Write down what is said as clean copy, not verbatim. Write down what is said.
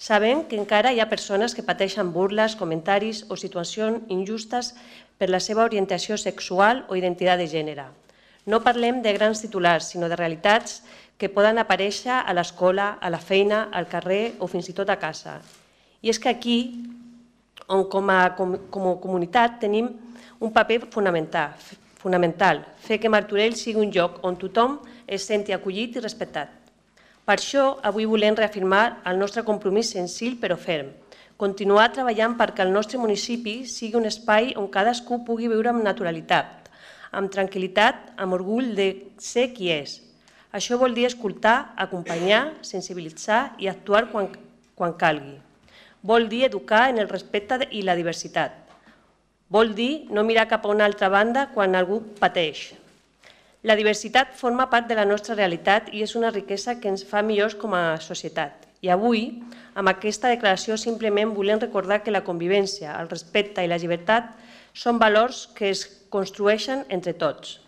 Sabem que encara hi ha persones que pateixen burles, comentaris o situacions injustes per la seva orientació sexual o identitat de gènere. No parlem de grans titulars, sinó de realitats que poden aparèixer a l'escola, a la feina, al carrer o fins i tot a casa. I és que aquí, on com a comunitat tenim un paper fonamental, fer que Martorell sigui un lloc on tothom es senti acollit i respectat. Per això, avui volem reafirmar el nostre compromís senzill però ferm, continuar treballant perquè el nostre municipi sigui un espai on cadascú pugui viure amb naturalitat, amb tranquil·litat, amb orgull de ser qui és. Això vol dir escoltar, acompanyar, sensibilitzar i actuar quan calgui. Vol dir educar en el respecte i la diversitat. Vol dir no mirar cap a una altra banda quan algú pateix. La diversitat forma part de la nostra realitat i és una riquesa que ens fa millors com a societat. I avui, amb aquesta declaració, simplement volem recordar que la convivència, el respecte i la llibertat són valors que es construeixen entre tots.